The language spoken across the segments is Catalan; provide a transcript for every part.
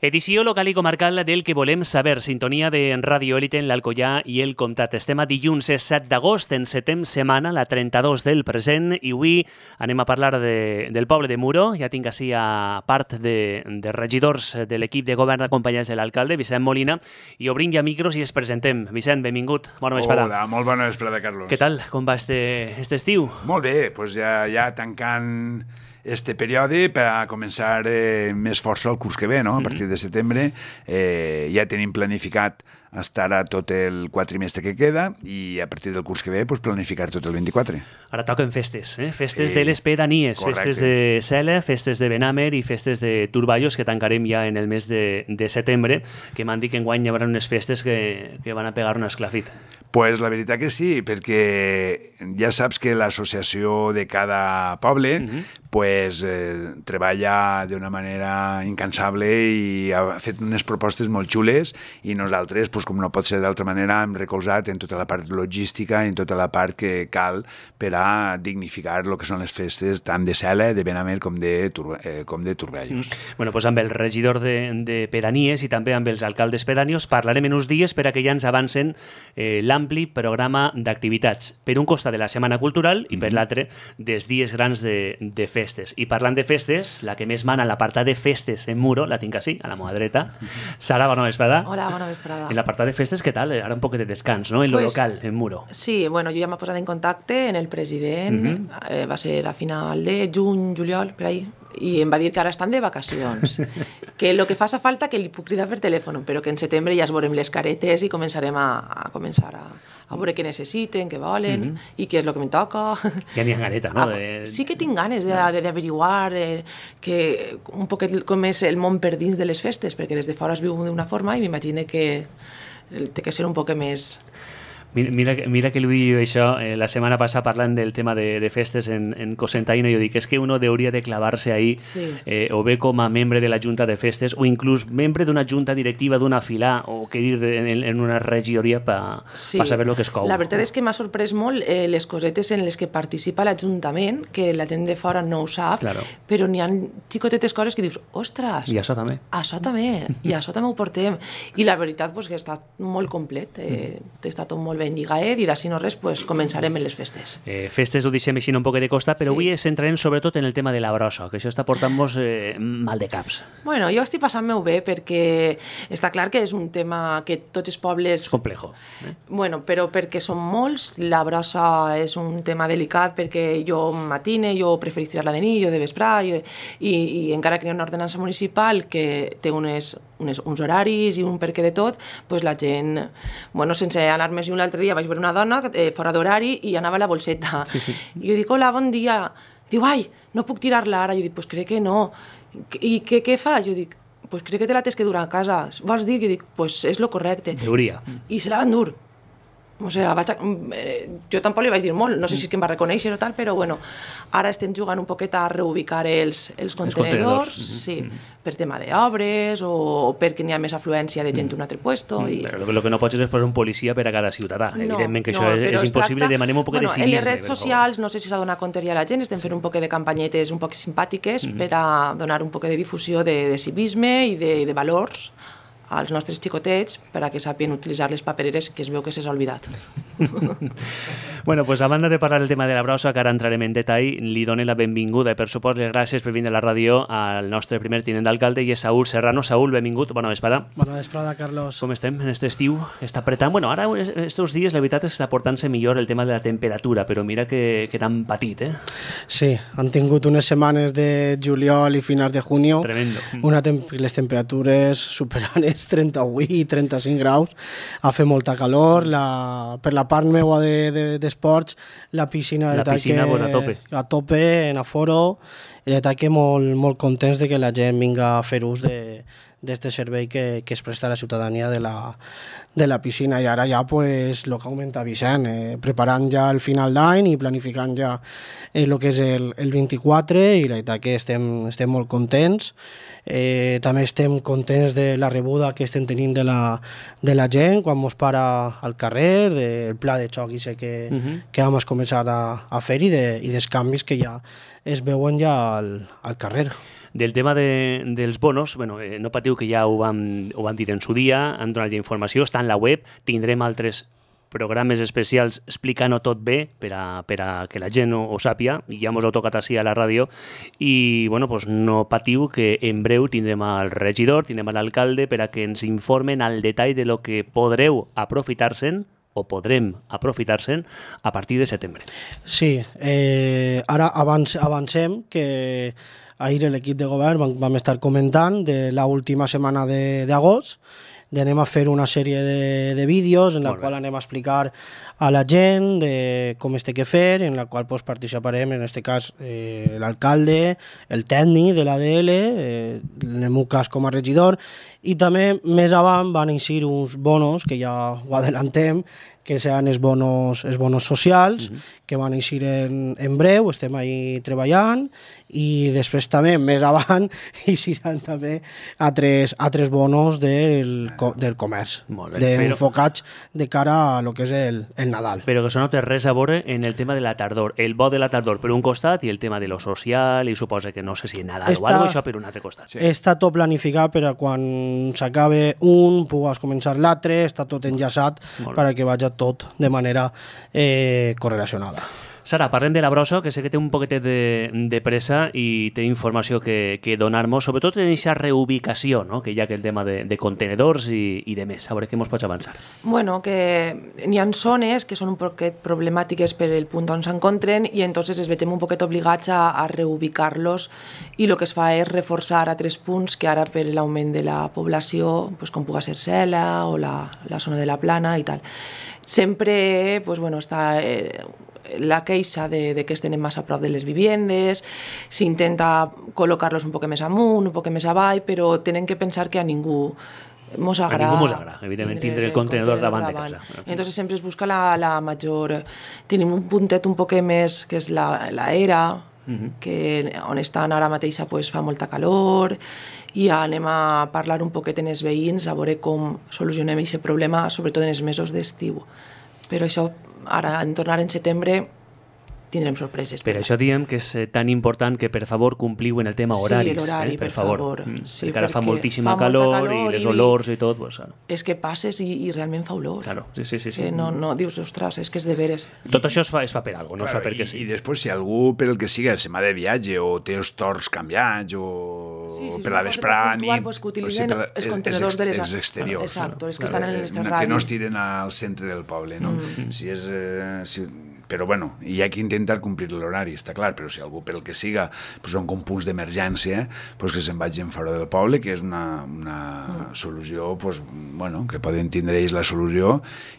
Edició local i comarcal del que volem saber. Sintonia de Ràdio Élite en l'Alcoià i el Comtat. Estem a dilluns 7 d'agost, encetem setmana, la 32 del present, i avui anem a parlar del poble de Muro. Ja tinc així a part de regidors de l'equip de govern acompanyats de l'alcalde, Vicent Molina, i obrim ja micros i es presentem. Vicent, benvingut. Bona vesprada. Hola, molt bona vesprada, Carlos. Què tal? Com va este estiu? Molt bé, doncs ja tancant este període per a començar més força el curs que ve, no? A partir de setembre ja tenim planificat estar a tot el quatrimestre que queda i a partir del curs que ve planificar tot el 24. Ara toquen festes, festes de les pedanies, correcte. Festes de Cela, festes de Benàmer i festes de Turballos que tancarem ja en el mes de setembre, que m'han dit que enguany hi haurà unes festes que van a pegar un esclafit. Pues la veritat que sí, perquè ja saps que l'associació de cada poble treballa d'una manera incansable i ha fet unes propostes molt xules i nosaltres, com no pot ser d'altra manera, hem recolzat en tota la part logística i en tota la part que cal per a dignificar el que són les festes tant de Cela, de Benàmer com de Turballos. Bueno, doncs amb el regidor de pedanies i també amb els alcaldes pedanios parlarem en uns dies per a que ja ens avancen l'ampli programa d'activitats. Per un costat de la Setmana Cultural i per l'altre dels dies grans de festes. I parlant de festes, la que més mana a l'apartat de festes en Muro, la tinc així, a la meva dreta. Sara, bona vesprada. Hola, bona vesprada. En l'apartat de festes, què tal? Ara un poc de descans, no? En lo local, en Muro. Sí, bueno, jo ja m'he posat en contacte amb el president, va ser a final de juny, juliol, per ahí, i em va dir que ara estan de vacacions, que el que fa falta que li puc cridar per telèfon, però que en setembre ja es veurem les caretes i començarem a veure què necessiten, què volen i què és el que em toca. Ja n'hi ha ganeta, no? Sí que tinc ganes d'averiguar un poquet com és el món per dins de les festes, perquè des de fora es viu d'una forma i m'imagino que té que ser un poc més... Mira que li dic això, la setmana passada parlant del tema de festes en Cocentaina, jo dic, és que uno hauria de clavar-se ahí, o bé com a membre de la Junta de Festes, o inclús membre d'una junta directiva d'una filà, o què dir en una regidoria per saber el que es cou. La veritat és que m'ha sorprès molt les cosetes en les que participa l'Ajuntament, que la gent de fora no ho sap, però n'hi ha xicotetes coses que dius, ostres, i això també. I això també ho portem. I la veritat que està molt complet, està tot molt ben lligaet i d'ací no res començarem en les festes. Festes ho deixem així un poc de costat, però avui ens centrarem sobretot en el tema de la brossa, que això està portant-nos mal de caps. Bueno, jo estic passant-me-ho bé perquè està clar que és un tema que tots els pobles... És complejo. Bueno, però perquè són molts, la brossa és un tema delicat perquè jo matine, jo preferís tirar-la de nit, jo de vesprà, i encara que hi ha una ordenança municipal que té uns horaris i un perquè de tot, la gent, sense anar més lluny, l'altre dia vaig veure una dona fora d'horari i anava a la bolseta. I jo dic, hola, bon dia. Diu, ai, no puc tirar-la ara. Jo dic, crec que no. I què fas? Jo dic, crec que te la tens que dur a casa. Vols dir? Jo dic, és lo correcte. Deuria. I se la van dur. O sigui, jo tampoc li vaig dir molt, no sé si és que em va reconèixer o tal, però bueno, ara estem jugant un poquet a reubicar els contenedors, per tema d'obres o perquè n'hi ha més afluència de gent d'un altre puesto. El que no pots és posar un policia per a cada ciutadà. Evidentment que això és impossible, demanem un poc de civisme. En les redes socials, no sé si s'ha donat compte ja la gent, estem fent un poc de campanyetes un poc simpàtiques per a donar un poc de difusió de civisme i de valors als nostres xicotets per a que sàpien utilitzar les papereres que es veu que s'ha oblidat. Bueno, a banda de parlar del tema de la brossa, que ara entrarem en detall, li dono la benvinguda i per suport les gràcies per vindre a la ràdio al nostre primer tinent d'alcalde i és Saúl Serrano. Saúl, benvingut, bona vesprada. Bona vesprada, Carlos. Com estem en aquest estiu? Està apretant? Bueno, ara estos dies la veritat està portant-se millor el tema de la temperatura, però mira que tan petit, Sí, han tingut unes setmanes de juliol i finals de junio. Tremendo. Les temperatures superant 38 i 35 graus, ha fet molta calor, per la part meva d'esports, la piscina a tope, en aforo, i la veritat que molt contents de que la gent vinga a fer ús d'aquest servei que es presta a la ciutadania de la piscina, i ara ja, el que augmenta Vicent, preparant ja el final d'any i planificant ja el que és el 24, i la veritat que estem molt contents. També estem contents de la rebuda que estem tenint de la gent quan mos para al carrer, del pla de xoc que vam començar a fer i dels canvis que ja es veuen ja al carrer. Del tema dels bonos, bueno, no patiu que ja ho vam dir en su dia, han donat ja informació, està en la web, tindrem altres programes especials explicant-ho tot bé per a que la gent ho sàpia, i ja mos heu tocat així a la ràdio, i bueno, pues no patiu que en breu tindrem al regidor, tindrem a l'alcalde per a que ens informen al detall de lo que podreu aprofitar-se'n o podrem aprofitar-se'n a partir de setembre. Sí, ara avancem que ahir l'equip de govern vam estar comentant de l'última setmana d'agost, d'anem a fer una sèrie de vídeos en la qual anem a explicar a la gent de com es té que fer, en la qual participarem, en aquest cas, l'alcalde, el tècnic de l'ADL, en el meu cas com a regidor, i també més avant van eixir uns bonos, que ja ho adellantem, que seran els bonos socials, que van eixir en breu, estem ahí treballant, i després també, més avant, eixiran també altres bonos del comerç, enfocats de cara a lo que és el Nadal. Però que això no té res a veure en el tema de la tardor. El bo de la tardor per un costat i el tema de lo social, i suposa que no sé si Nadal o alguna cosa, això per un altre costat. Sí. Està tot planificat per a quan s'acabe un, pugues començar l'altre, està tot enllaçat perquè vagi tot de manera correlacionada. Sara, parlem de la brossa, que sé que té un poquetet de pressa i té informació que donar-nos, sobretot en aquesta reubicació, no? Que hi ha aquell tema de contenedors i de més. A veure què ens pots avançar. Bueno, que hi ha zones que són un poquet problemàtiques per el punt on s'encontren i entonces es vegem un poquet obligats a reubicar-los, i el que es fa és reforçar a 3 punts que ara per l'augment de la població, pues, com puga ser Cela o la zona de la Plana i tal. Sempre pues, bueno, està la queixa de que estén massa a prop de les viviendes, s'intenta col·locar-los un poc més amunt, un poc més avall, però tenen que pensar que a ningú mos agrada. A ningú mos agrada, evidentment, tindre el contenedor davant de casa. Entonces sempre es busca la major... Tenim un puntet un poc més, que és la era, que on estan ara mateix pues, fa molta calor, i anem a parlar un poquet en els veïns a veure com solucionem aquest problema, sobretot en els mesos d'estiu. Però això, ara, en tornar en setembre, tindrem sorpreses. Per això diem que és tan important que, per favor, compliu en el tema horaris. Sí, l'horari, per favor. Sí, perquè ara fa moltíssima calor i les olors i tot. Pues, és que passes i realment fa olor. Claro, sí. Que no dius, ostres, és que és de veres. Tot això es fa per alguna cosa, no es fa perquè sí. I després, si algú, per el que siga, se m'ha de viatge o té els torns canviats o per la vesprà, pues, que utilitzen els contenedors de les... Els exteriors. Exacte, els que estan en les terrades. Que no es tiren al centre del poble, no? Si és... Però bueno, hi ha que intentar complir l'horari, està clar, però si algú per el que siga pues són com punts d'emergència, pues que se'n vagin fora del poble, que és una solució, pues, bueno, que poden tindre ells la solució,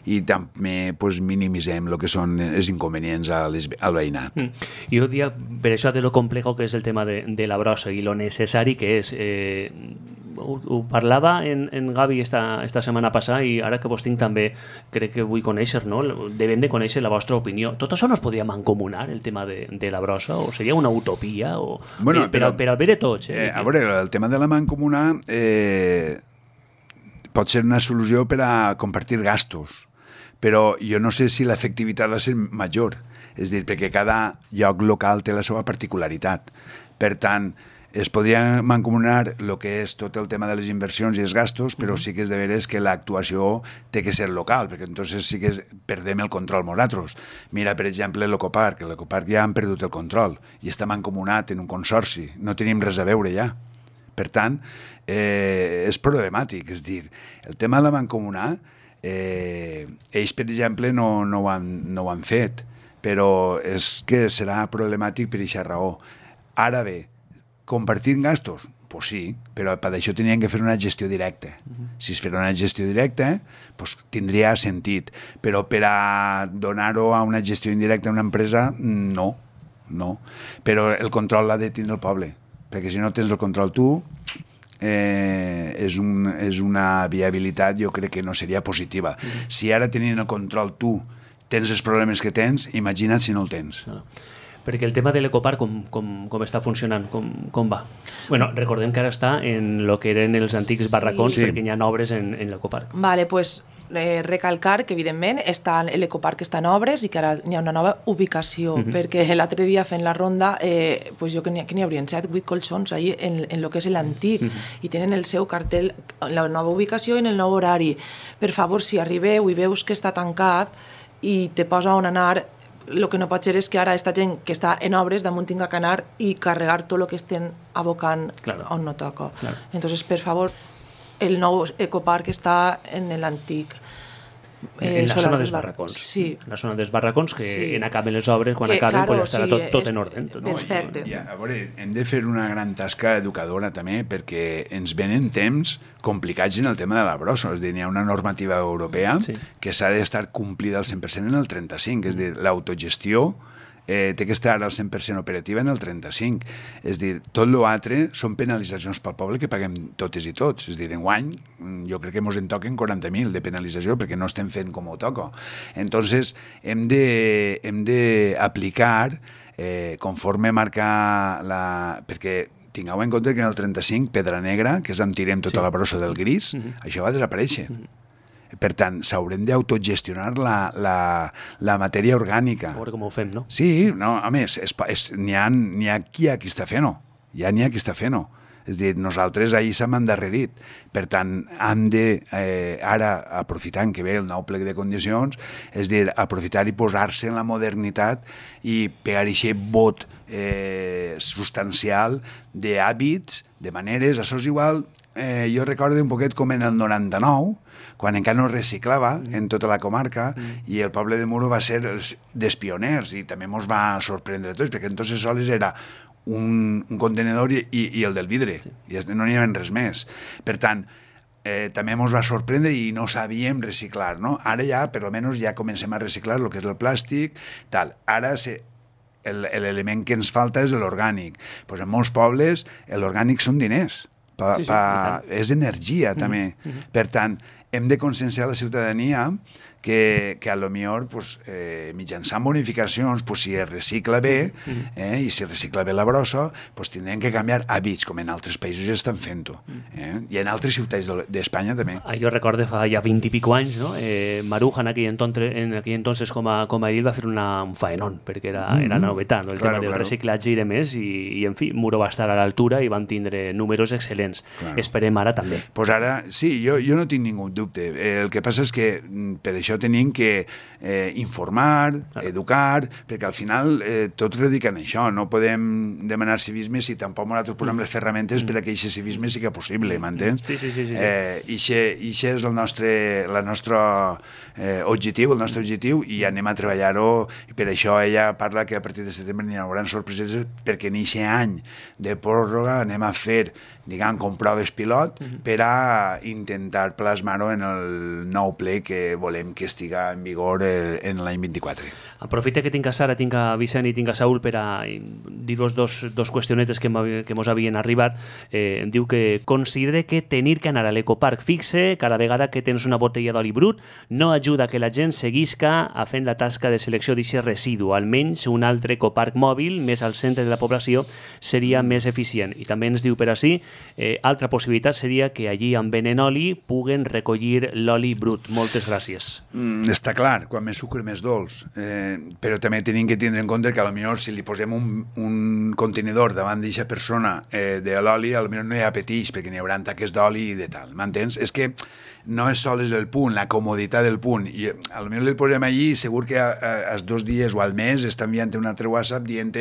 i també pues, minimitzem el que són els inconvenients al veïnat. Jo diria, per això de lo complejo que és el tema de la brossa i lo necessari que és... Ho parlava en Gavi esta setmana passada, i ara que vos tinc també crec que vull conèixer, no? Devem de conèixer la vostra opinió. Tot això no es podria mancomunar, el tema de la brossa, o seria una utopia, o... Bueno, per al bé de tots. A veure, el tema de la mancomunar pot ser una solució per a compartir gastos, però jo no sé si l'efectivitat va ser major, és a dir, perquè cada lloc local té la seva particularitat. Per tant, es podria mancomunar el que és tot el tema de les inversions i els gastos, però sí que és de veres que l'actuació té que ser local, perquè entonces sí que perdem el control nosaltres. Mira, per exemple, l'Ecoparc. L'Ecoparc ja han perdut el control i està mancomunat en un consorci. No tenim res a veure ja. Per tant, és problemàtic. És dir, el tema de la mancomunar, ells, per exemple, no ho han fet, però és que serà problemàtic per aquesta raó. Ara bé, compartir gastos? Pues sí, però per això tenien que fer una gestió directa. Si es fera una gestió directa, pues tindria sentit, però per a donar-ho a una gestió indirecta a una empresa, no. Però el control l'ha de tindre el poble, perquè si no tens el control tu, és una viabilitat, jo crec que no seria positiva. Si ara tenint el control tu tens els problemes que tens, imagina't si no el tens. Perquè el tema de l'Ecoparc, com està funcionant, com va? Bueno, recordem que ara està en el que eren els antics barracons, perquè hi ha obres en l'Ecoparc. Vale, pues recalcar que, evidentment, l'ecoparc està en obres i que ara hi ha una nova ubicació, perquè l'altre dia fent la ronda, pues jo que n'hi haurien 7, 8 colxons ahí en el que és l'antic, i tenen el seu cartell, la nova ubicació i en el nou horari. Per favor, si arribeu i veus que està tancat i te posa on anar, el que no pot ser és que ara aquesta gent que està en obres damunt tinga que anar i carregar tot el que estem abocant on no toca. Entonces, per favor, el nou ecoparc està en l'antic. En la zona dels barracons. Sí. En la zona dels barracons, que en acaben les obres, quan acaben, pues estarà tot en ordre. Perfecte. A veure, hem de fer una gran tasca educadora també, perquè ens venen temps complicats en el tema de la brossa. És a dir, hi ha una normativa europea que s'ha d'estar complida al 100% en el 35, és a dir, l'autogestió té que estar al 100% operativa en el 35. És a dir, tot l'altre són penalitzacions pel poble que paguem totes i tots. És a dir, enguany jo crec que ens en toquen 40.000 de penalització perquè no estem fent com ho toca. Entonces, hem d'aplicar conforme marca perquè tingueu en compte que en el 35 Pedra Negra, que és on tirem tota la brossa del gris, això va desaparèixer. Per tant, s'haurem d'autogestionar la matèria orgànica. A veure com ho fem, no? Sí, no, a més, n'hi ha qui està fent-ho. Ja n'hi ha qui està fent-ho. És a dir, nosaltres ahir s'hem endarrerit. Per tant, hem de, ara, aprofitant que ve el nou plec de condicions, és a dir, aprofitar i posar-se en la modernitat i pegar aquest vot substancial d'hàbits, de maneres. Això és igual, jo recordo un poquet com en el 99, quan encara no es reciclava en tota la comarca, i el poble de Muro va ser dels pioners i també ens va sorprendre a tots, perquè entonces sols era un contenedor i el del vidre, i no n'hi havia res més. Per tant, també ens va sorprendre i no sabíem reciclar, no? Ara ja, per almenys, ja comencem a reciclar el que és el plàstic, tal. Ara l'element que ens falta és l'orgànic. Pues en molts pobles l'orgànic són diners, és energia també. Per tant, hem de conscienciar la ciutadania que a lo millor mitjançant bonificacions, si es recicla bé i si es recicla bé la brossa, tindrem que canviar hàbits, com en altres països ja estan fent-ho. I en altres ciutats d'Espanya també. Jo recordo fa ja 20 i pico anys, Maruja en aquell entonces com a edil va fer un faenón, perquè era novetat, el tema del reciclatge i de més, i en fi, Muro va estar a l'altura i van tindre números excel·lents. Esperem ara també. Doncs ara, sí, jo no tinc ningú dubte. El que passa és que per això tenim que informar, educar, perquè al final tots radiquen això. No podem demanar civisme si tampoc nosaltres posem les ferramentes per a que aquest civisme sigui possible, m'entens? Sí. I això és el nostre objectiu, i anem a treballar-ho, i per això ella parla que a partir de setembre n'hi haurà sorpreses, perquè en aquest any de pròrroga anem a fer, diguem, com proves pilot per a intentar plasmar-ho en el nou ple que volem que estiga en vigor en l'any 24. Aprofita que tinc a Sara, tinc a Vicent i tinc a Saúl per a dir-vos dos qüestionetes que mos havien arribat. Diu que considere que tenir que anar a l'ecoparc fixe cada vegada que tens una botella d'oli brut no ajuda que la gent seguisca a fent la tasca de selecció d'aquest residu. Almenys un altre ecoparc mòbil més al centre de la població seria més eficient. I també ens diu per així, altra possibilitat seria que allí on venen oli puguen recollir l'oli brut. Moltes gràcies. Està clar, quan més sucre més dolç, però també tenim que tindre en compte que potser si li posem un contenidor davant d'aquesta persona de l'oli, potser no hi ha petits perquè n'hi haurà taques d'oli i de tal, m'entens? És que no és sols el punt, la comoditat del punt, i potser el posem allí i segur que als 2 dies o al mes està enviant un altre WhatsApp dient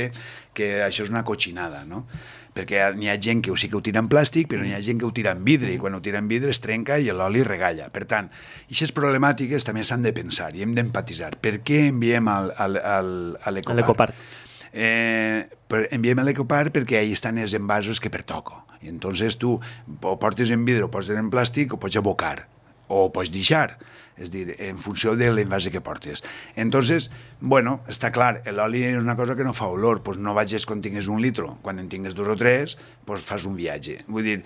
que això és una cotxinada, no? Perquè n'hi ha gent que sí que ho tira en plàstic, però n'hi ha gent que ho tira en vidre, i quan ho tira en vidre es trenca i l'oli regalla. Per tant, aquestes problemàtiques també s'han de pensar i hem d'empatitzar. Per què enviem a l'ecoparc? Enviem a l'ecoparc perquè ahí estan els envasos que pertoco. I entonces tu ho portes en vidre, ho portes en plàstic, ho pots abocar, o ho pots deixar. És a dir, en funció de l'envase que portes. Entonces, bueno, està clar, l'oli és una cosa que no fa olor, doncs no vagis quan tingues 1 litre, quan en tingues 2 o 3, doncs fas un viatge. Vull dir,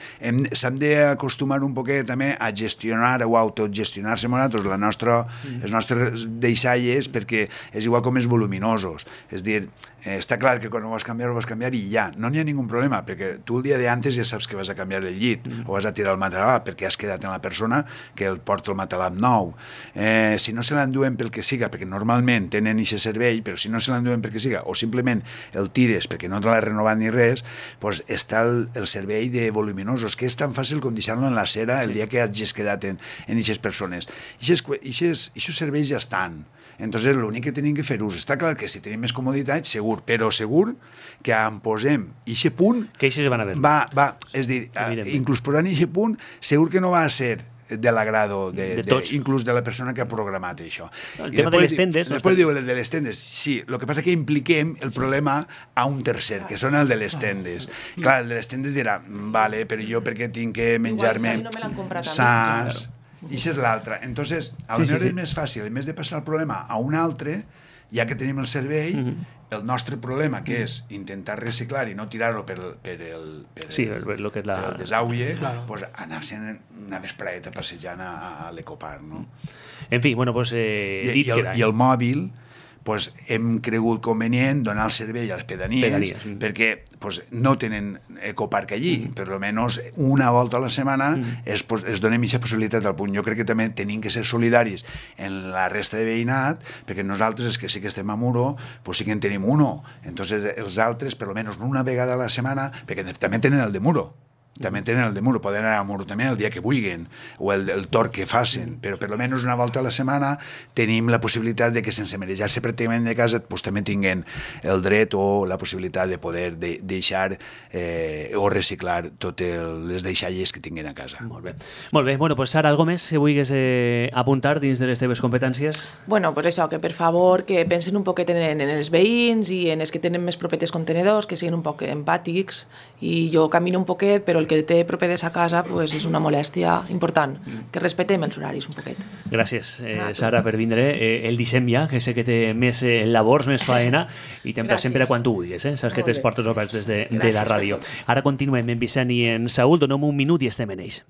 s'hem d'acostumar un poquet també a gestionar o autogestionar-se nosaltres els nostres deixalles, perquè és igual com els voluminosos. És a dir, està clar que quan ho vas canviar i ja, no n'hi ha ningú problema, perquè tu el dia d'antes ja saps que vas a canviar el llit o vas a tirar el material perquè has quedat en la persona que el porto el matalà nou. Si no se l'enduen pel que siga, perquè normalment tenen aquest servei, però si no se l'enduen pel que siga, o simplement el tires perquè no te l'ha renovat ni res, doncs està el servei de voluminosos, que és tan fàcil com deixar-lo en la cera el dia que hagis quedat en aquestes persones. Aquests serveis ja estan. Entonces, l'únic que tenim que fer ús. Està clar que si tenim més comoditat, segur, però segur que en posem aquest punt... Que així se van a veure. És dir, inclús posant aquest punt, segur que no va a ser de l'agrado inclús de la persona que ha programat això. El tema de les tendes... Després diu el de les tendes. Sí, el que passa que impliquem el problema a un tercer, que són el de les tendes. Clar, el de les tendes dirà, vale, però jo perquè tinc que menjar-me... Igual, no me l'han comprat saps... I això és l'altre. Entonces, potser és més fàcil, en vez de passar el problema a un altre, ja que tenim el servei, el nostre problema, que és intentar reciclar i no tirar-ho per el desaulle, pues anar-se'n una vespreta passejant a l'Ecopark, no? En fi, bueno, pues... I el mòbil, pues, hem cregut convenient donar el servei a les pedanies. Perquè pues, no tenen ecoparc allí, per almenys una volta a la setmana es donem aquesta possibilitat al punt. Jo crec que també tenim que ser solidaris en la resta de veïnat, perquè nosaltres, és que sí que estem a Muro, pues sí que en tenim uno. Entonces, els altres, per almenys una vegada a la setmana, perquè també tenen el de Muro. També tenen el de Muro, poden anar a Muro també el dia que vulguin, o el torn que facin, però per almenys una volta a la setmana tenim la possibilitat de que sense marejar-se pràcticament de casa pues, també tinguin el dret o la possibilitat de poder deixar o reciclar totes les deixalles que tinguin a casa. Molt bé. Molt bé. Bueno, pues Sara, algo més que vulguis apuntar dins de les teves competències? Bueno, pues això, que per favor que pensen un poquet en els veïns i en els que tenen més propetes contenedors, que siguin un poc empàtics, i jo camino un poquet, però el que té propetes a casa pues, és una molèstia important, que respetem els horaris un poquet. Gràcies, Sara, per vindre. El deixem ja, que sé que té més labors, més faena, i t'emplacem sempre quan tu vulguis. Saps que tens portes obertes de la ràdio. Ara continuem en Vicent i en Saúl. Donem un minut i estem en ells.